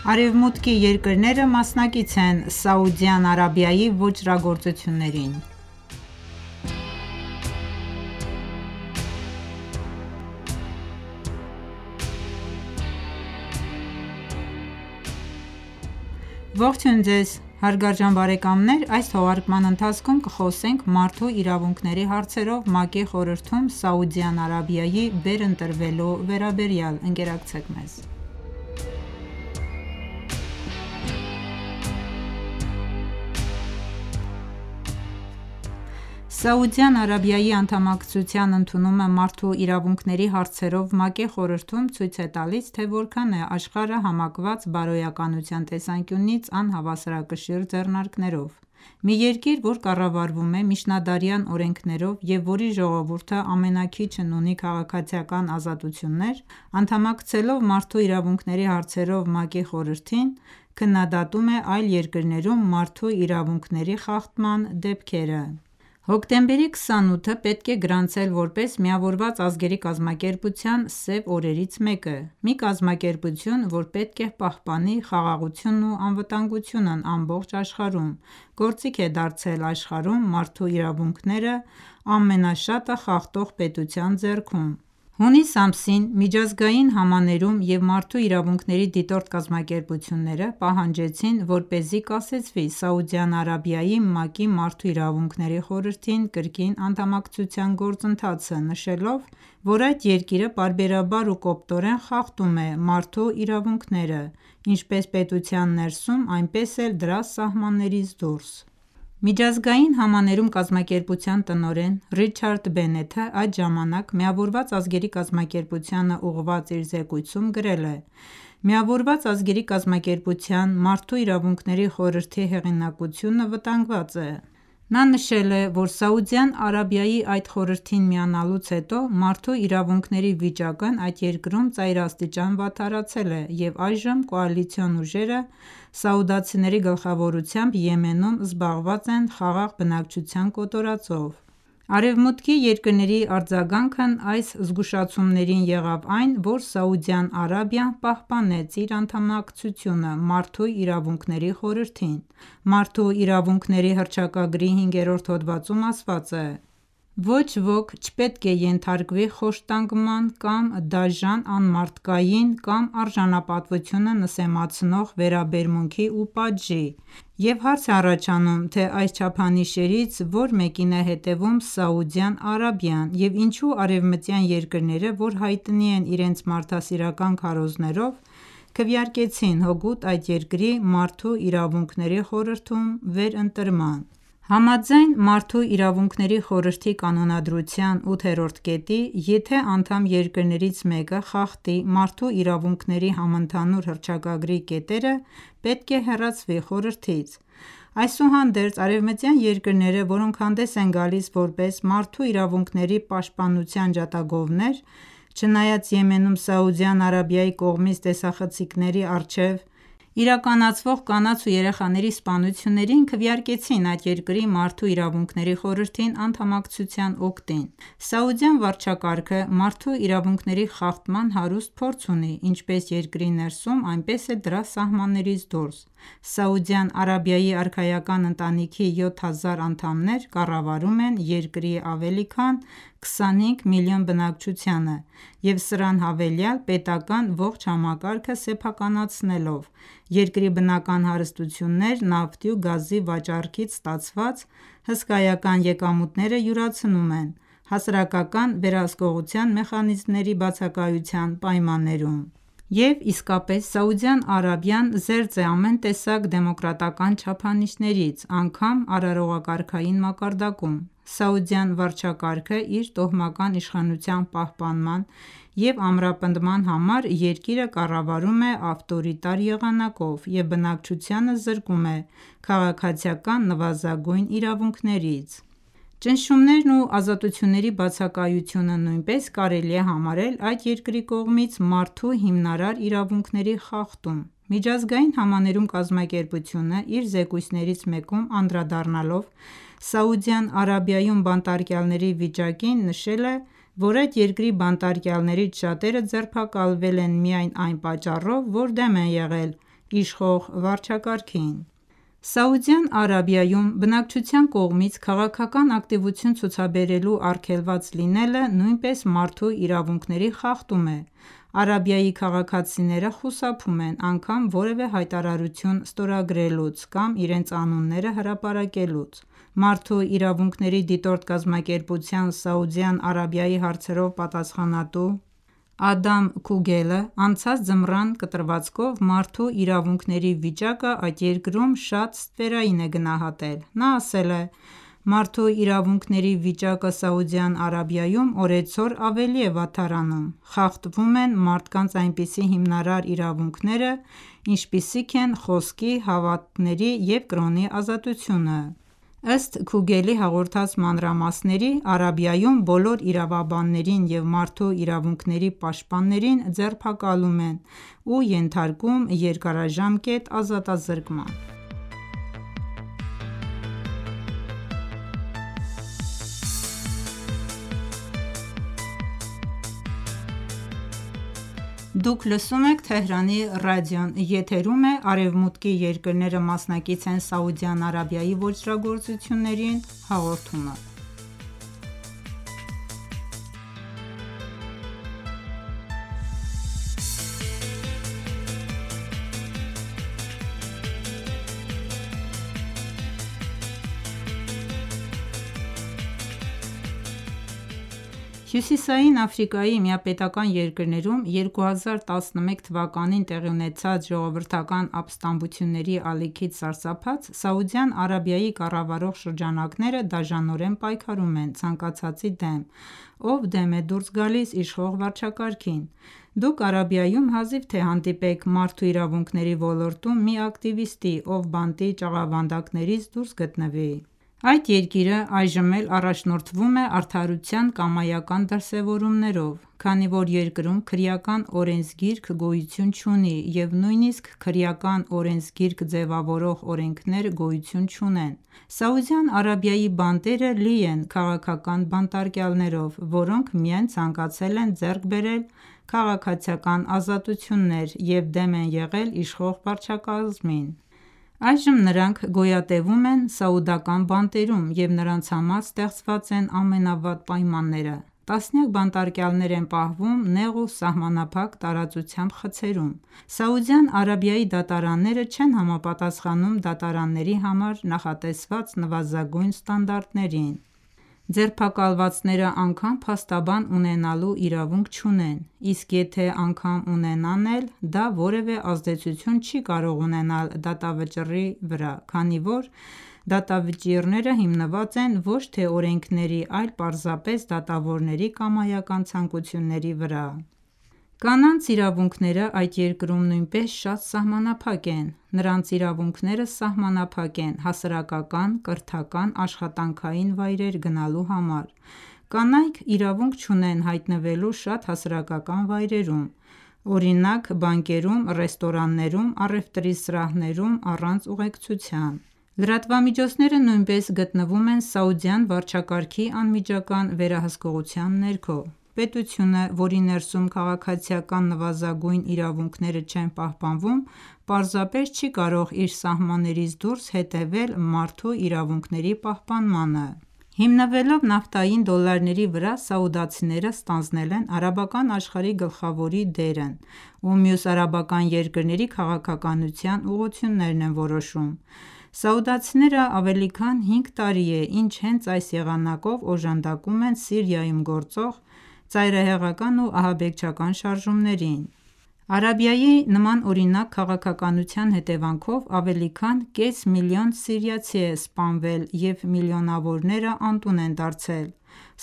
Արևմուտքի երկրները մասնակից են Սաուդյան Արաբիայի ոճրագործություններին։ Ողջույն ձեզ հարգարժան բարեկամներ: Այս թողարկման ընթացքում կխոսենք մարդու իրավունքների հարցերով ՄԱԿ-ի խորհրդում Սաուդյան Արաբիայի վերընտրվելու վերաբերյալ: Ընկերակցեք մեզ: Սաուդյան Արաբիայի անդամակցության ընդունումը մարդու իրավունքների հարցերով ՄԱԿ-ի խորհրդում ցույց է տալիս, թե որքան է աշխարհը համակված բարոյականության տեսանկյունից անհավասարակշիռ ձեռնարկներով: Մի երկիր, որ կառավարվում է միջնադարյան օրենքներով և որի ժողովուրդը ամենաքիչն ունի քաղաքացիական ազատություններ, անդամակցելով մարդու իրավունքների հարցերով ՄԱԿ-ի խորհրդին, քննադատում է այլ երկրներում մարդու իրավունքների խախտման դեպքերը: Հոկտեմբերի 28-ը պետք է գրանցել որպես Միավորված ազգերի կազմակերպության սև օրերից մեկը: Մի կազմակերպություն, որ պետք է պահպանի խաղաղությունն ու անվտանգությունն ամբողջ աշխարհում, գործիք է դարձել աշխարհում մարդու իրավունքները ամենաշատը խախտող պետության ձեռքում: Հունիս ամսին միջազգային համաներում և մարդու իրավունքների դիտորդ կազմակերպությունները պահանջեցին, որպեսզի կասեցվի Սաուդյան Արաբիայի ՄԱԿ-ի Մարդու իրավունքների խորհրդին կրկին անդամակցության գործընթացը, նշելով, որ այդ երկիրը պարբերաբար ու կոպտորեն խախտում է մարդու իրավունքները ինչպես պետության ներսում, այնպես էլ դրա սահմաններից դուրս: Միջազգային համաներում կազմակերպության տնօրեն Ռիչարդ Բենեթը այդ ժամանակ Միավորված ազգերի կազմակերպությանը ուղղված իր զեկույցում գրել է. «Միավորված ազգերի կազմակերպության Մարդու իրավունքների խորհրդի հեղինակությունը վտանգված է»: Նա նշել է, որ Սաուդյան Արաբիայի այդ խորհրդին միանալուց հետո մարդու իրավունքների վիճակն այդ երկրում ծայրաստիճան վատթարացել է և այժմ կոալիցիոն ուժերը սաուդացիների գլխավորությամբ Եմենում զբաղված են խաղաղ բնակչության կոտորածով: Արևմուտքի երկրների արձագանքն այս զգուշացումներին եղավ այն, որ Սաուդյան Արաբիան պահպանեց իր անդամակցությունը Մարդու իրավունքների խորհրդին: Մարդու իրավունքների հռչակագրի 5-րդ հոդվածում ասված է. «Ոչ ոք չպետք է ենթարկվի խոշտանգման կամ դաժան, անմարդկային կամ արժանապատվությունը նսեմացնող վերաբերմունքի ու պատժի»: Եվ հարց է առաջանում, թե այս չափանիշերից որ մեկին է հետևում Սաուդյան Արաբիան և ինչու արևմտյան երկրները, որ հայտնի են իրենց մարդասիրական քարոզներով, քվեարկեցին հօգուտ այդ երկրի Մարդու իրավունքների խորհրդում վերընտրման: Համաձայն Մարդու իրավունքների խորհրդի կանոնադրության 8-րդ կետի, եթե անդամ երկրներից մեկը խախտի մարդու իրավունքների համընդհանուր հռչակագրի կետերը, պետք է հեռացվի խորհրդից: Այսուհանդերձ, արևմտյան երկրները, որոնք հանդես են գալիս որպես մարդու իրավունքների պաշտպանության ջատագովներ, չնայած Եմենում Սաուդյան Արաբիայի կողմից տեսախցիկների առջև իրականացվող կանանց ու երեխաների սպանություններին, քվեարկեցին այդ երկրի Մարդու իրավունքների խորհրդին անդամակցության օգտին: Սաուդյան վարչակարգը մարդու իրավունքների խախտման հարուստ փորձ ունի ինչպես երկրի ներսում, այնպես էլ դրա սահմաններից դուրս: Սաուդյան Արաբիայի արքայական ընտանիքի 7000 անդամներ կառավարում են երկրի ավելի քան 25 միլիոն բնակչությանը և սրան հավելյալ պետական ողջ համակարգը սեփականացնելով, երկրի բնական հարստություններ նավթի ու գազի վաճառքից ստացված հսկայական եկամուտները յուրացնում են հասարակական վերահսկողության մեխանիզմների բացակայության պայմաններում: Եվ իսկապես Սաուդյան Արաբիան զերծ է ամեն տեսակ դեմոկրատական չափանիշներից, անգամ արարողակարգային մակարդակում: Սաուդյան վարչակարգը իր տոհմական իշխանության պահպանման և ամրապնդման համար երկիրը կառավարում է ավտորիտար եղանակով և բնակչությանը զրկում է քաղաքացիական նվազագույն իրավունքներից: Ճնշումներն ու ազատությունների բացակայությունը նույնպես կարելի է համարել այդ երկրի կողմից մարդու հիմնարար իրավունքների խախտում: Միջազգային համաներում կազմակերպությունը իր զեկույցներից մեկում անդրադառնալով Սաուդյան Արաբիայում բանտարկյալների վիճակին, նշել է, որ այդ երկրի բանտարկյալներից շատերը ձերբակալվել են միայն այն պատճառով, որ դեմ են եղել իշխող վարչակարգին: Սաուդյան Արաբիայում բնակչության կողմից քաղաքական ակտիվություն ցուցաբերելու արգելված լինելը նույնպես մարդու իրավունքների խախտում է: Արաբիայի քաղաքացիները խուսափում են անգամ որևէ հայտարարություն ստորագրելուց կամ իրենց անունները հրապարակելուց: Մարդու իրավունքների դիտորդ կազմակերպության Սաուդյան Արաբիայի հարցերով պատասխանատու Ադամ Քուգելը անցած ձմռան կտրվածքով մարդու իրավունքների վիճակը այդ երկրում շատ ստվերային է գնահատել: Նա ասել է. «Մարդու իրավունքների վիճակը Սաուդյան Արաբիայում օրեցօր ավելի է վատթարանում: Խախտվում են մարդկանց այնպիսի հիմնարար իրավունքները, ինչպիսիք են խոսքի, հավատքների և կրոնի ազատությունը»: Ըստ Քուգելի հաղորդած մանրամասների, Արաբիայում բոլոր իրավաբաններին և մարդու իրավունքների պաշտպաններին ձերբակալում են ու ենթարկում երկարաժամկետ ազատազրկման: Հյուսիսային Աֆրիկայի միապետական երկրներում 2011 թվականին տեղի ունեցած ժողովրդական ապստամբությունների ալիքից սարսափած Սաուդյան Արաբիայի կառավարող շրջանակները դաժանորեն պայքարում են ցանկացածի դեմ, ով դեմ է դուրս գալիս իշխող վարչակարգին: Դուք Արաբիայում հազիվ թե հանդիպեք մարդու իրավունքների ոլորտում մի ակտիվիստի, ով բանտի ճաղավանդակներից դուրս գտնվի: Այդ երկիրը այժմ էլ առաջնորդվում է արդարության կամայական դրսևորումներով: Քանի որ երկրում քրեական օրենսգիրք գոյություն չունի և նույնիսկ քրեական օրենսգիրք ձևավորող օրենքներ գոյություն չունեն: Սաուդյան Արաբիայի բանտերը լի են քաղաքական բանտարկյալներով, որոնք միայն ցանկացել են ձեռք բերել քաղաքացիական ազատություններ և դեմ են եղել իշխող վարչակազմին: Այժմ նրանք գոյատևում են սաուդական բանտերում և նրանց համար ստեղծված են ամենավատ պայմանները: Տասնյակ բանտարկյալներ են պահվում նեղ ու սահմանափակ տարածությամբ խցերում: Սաուդյան Արաբիայի դատարանները չեն համապատասխանում դատարանների համար նախատեսված նվազագույն ստանդարտներին: Ձերբակալվածները անգամ փաստաբան ունենալու իրավունք չունեն, իսկ եթե անգամ ունենան էլ, դա որևէ ազդեցություն չի կարող ունենալ դատավճիռի վրա, քանի որ դատավճիռները հիմնված են ոչ թե օրենքների, այլ պարզապես դատավորների կամայական ցանկությունների վրա: Կանանց իրավունքները այդ երկրում նույնպես շատ սահմանափակ են: Նրանց իրավունքները սահմանափակ են հասարակական, կրթական, աշխատանքային վայրեր գնալու համար: Կանայք իրավունք չունեն հայտնվելու շատ հասարակական վայրերում, օրինակ բանկերում, ռեստորաններում, առևտրի սրահներում առանց ուղեկցության: Լրատվամիջոցները նույնպես գտնվում են սաուդյան վարչակարգի անմիջական վերահսկողության ներքո: Պետությունը, որի ներսում քաղաքացիական նվազագույն իրավունքները չեն պահպանվում, պարզապես չի կարող իր սահմաններից դուրս հետևել մարդու իրավունքների պահպանմանը: Հիմնվելով նավթային դոլարների վրա, սաուդացիները ստանձնել են արաբական աշխարհի գլխավորի դերն ու մյուս արաբական երկրների քաղաքականության ուղղություններն են որոշում: Սաուդացիները ավելի քան 5 տարի է ինչ հենց այս եղանակով օժանդակում են Սիրիայում գործող ծայրահեղական ու ահաբեկչական շարժումներին: Արաբիայի նման օրինակ քաղաքականության հետևանքով ավելի քան կես միլիոն սիրիացի է սպանվել և միլիոնավորները անտուն են դարձել: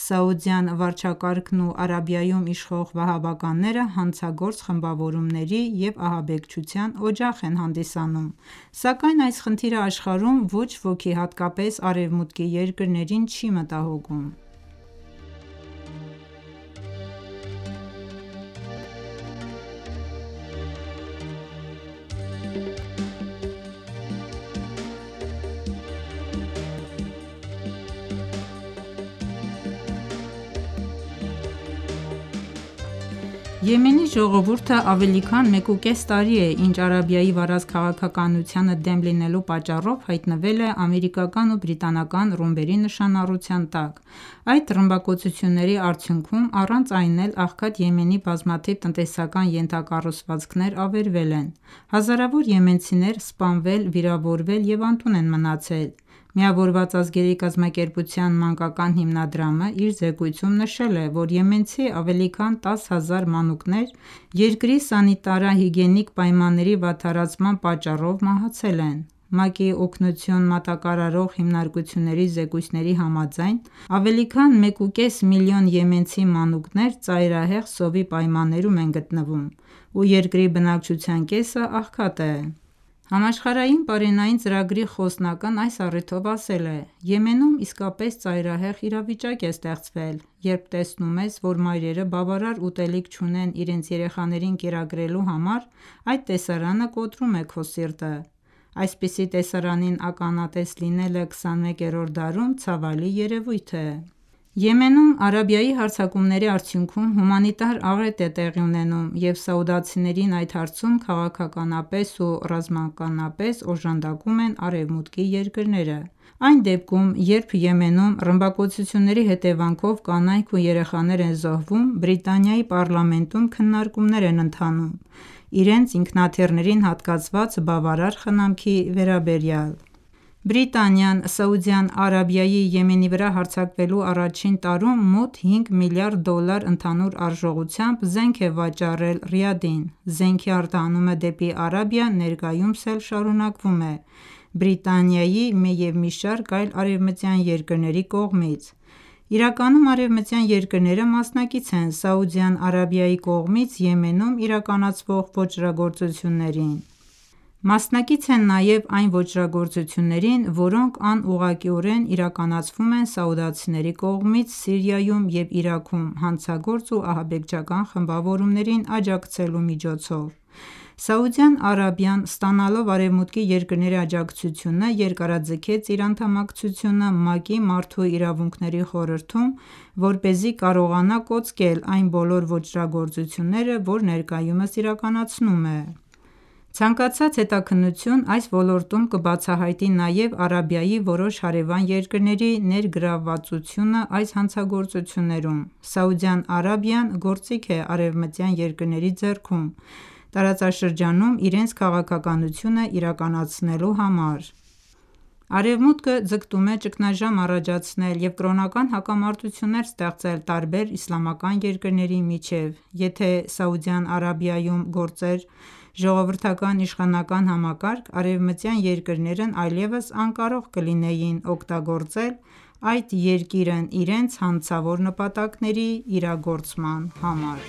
Սաուդյան վարչակարգն ու Արաբիայում իշխող վահաբականները հանցագործ խմբավորումների և ահաբեկչության օջախ են հանդիսանում: Սակայն այս խնդիրը աշխարհում ոչ ոքի, հատկապես արևմուտքի երկրներին չի մտահոգում: Եմենի ժողովուրդը ավելի քան 1,5 տարի է, ինչ Արաբիայի վարած քաղաքականությանը դեմ լինելու պատճառով հայտնվել է ամերիկական ու բրիտանական ռումբերի նշանառության տակ: Այդ ռմբակոծությունների արդյունքում առանց այն էլ աղքատ Եմենի բազմաթիվ տնտեսական ենթակառուցվածքներ ավերվել են: Հազարավոր եմենցիներ սպանվել, վիրավորվել և անտուն են մնացել: Միավորված ազգերի կազմակերպության մանկական հիմնադրամը իր զեկույցում նշել է, որ եմենցի ավելի քան 10 հազար մանուկներ երկրի սանիտարահիգիենիկ պայմանների վատթարացման պատճառով մահացել են: ՄԱԿ-ի օգնություն մատակարարող հիմնարկությունների զեկույցների համաձայն ավելի քան 1,5 միլիոն եմենցի մանուկներ ծայրահեղ սովի պայմաններում են գտնվում ու երկրի բնակչության կեսը աղքատ է: Համաշխարհային պարենային ծրագրի խոսնակն այս առիթով ասել է. «Եմենում իսկապես ծայրահեղ իրավիճակ է ստեղծվել: Երբ տեսնում ես, որ մայրերը բավարար ուտելիք չունեն իրենց երեխաներին կերակրելու համար, այդ տեսարանը կոտրում է քո սիրտը: Այսպիսի տեսարանին ականատես լինելը 21-րդ դարում ցավալի երևույթ է»: Եմենում Արաբիայի հարձակումների արդյունքում հումանիտար աղետ է տեղի ունենում և սաուդացիներին այդ հարցում քաղաքականապես ու ռազմականապես օժանդակում են Արևմուտքի երկրները: Այն դեպքում, երբ Եմենում ռմբակոծությունների հետևանքով կանայք ու երեխաներ են զոհվում, Բրիտանիայի պառլամենտում քննարկումներ են ընթանում իրենց ինքնաթիռներին հատկացված բավարար խնամքի վերաբերյալ: Բրիտանիան Սաուդյան Արաբիայի Եմենի վրա հարձակվելու առաջին տարում մոտ 5 միլիարդ դոլար ընդհանուր արժողությամբ զենք է վաճառել Ռիադին: Զենքի արտահանումը դեպի Արաբիա ներկայումս էլ շարունակվում է Բրիտանիայի և մի շարք այլ արևմտյան երկրների կողմից: Իրականում արևմտյան երկրները մասնակից են Սաուդյան Արաբիայի կողմից Եմենում իրականացվող ոճրագործություններին: Մասնակից են նաև այն ոճրագործություններին, որոնք անուղղակիորեն իրականացվում են սաուդցիների կողմից Սիրիայում և Իրաքում հանցագործ ու ահաբեկչական խմբավորումներին աջակցելու միջոցով: Սաուդյան Արաբիան ստանալով Արևմուտքի երկրների աջակցությունը երկարաձգեց իր անդամակցությունը ՄԱԿ-ի Մարդու իրավունքների խորհրդում, որպեսզի կարողանա կոծկել այն բոլոր ոճրագործությունները, որ ներկայումս իրականացնում է: Ցանկացած հետաքննություն այս ոլորտում կբացահայտի նաև Արաբիայի որոշ հարևան երկրների ներգրավվածությունը այս հանցագործություններում: Սաուդյան Արաբիան գործիք է արևմտյան երկրների ձեռքում տարածաշրջանում իրենց քաղաքականությունը իրականացնելու համար: Արևմուտքը ձգտում է ճգնաժամ առաջացնել և կրոնական հակամարտություններ ստեղծել տարբեր իսլամական երկրների միջև: Եթե Սաուդյան Արաբիայում գործեր ժողովրդական իշխանական համակարգ, արևմտյան երկրներն այլևս անկարող կլինեին օգտագործել այդ երկիրն իրենց հանցավոր նպատակների իրագործման համար: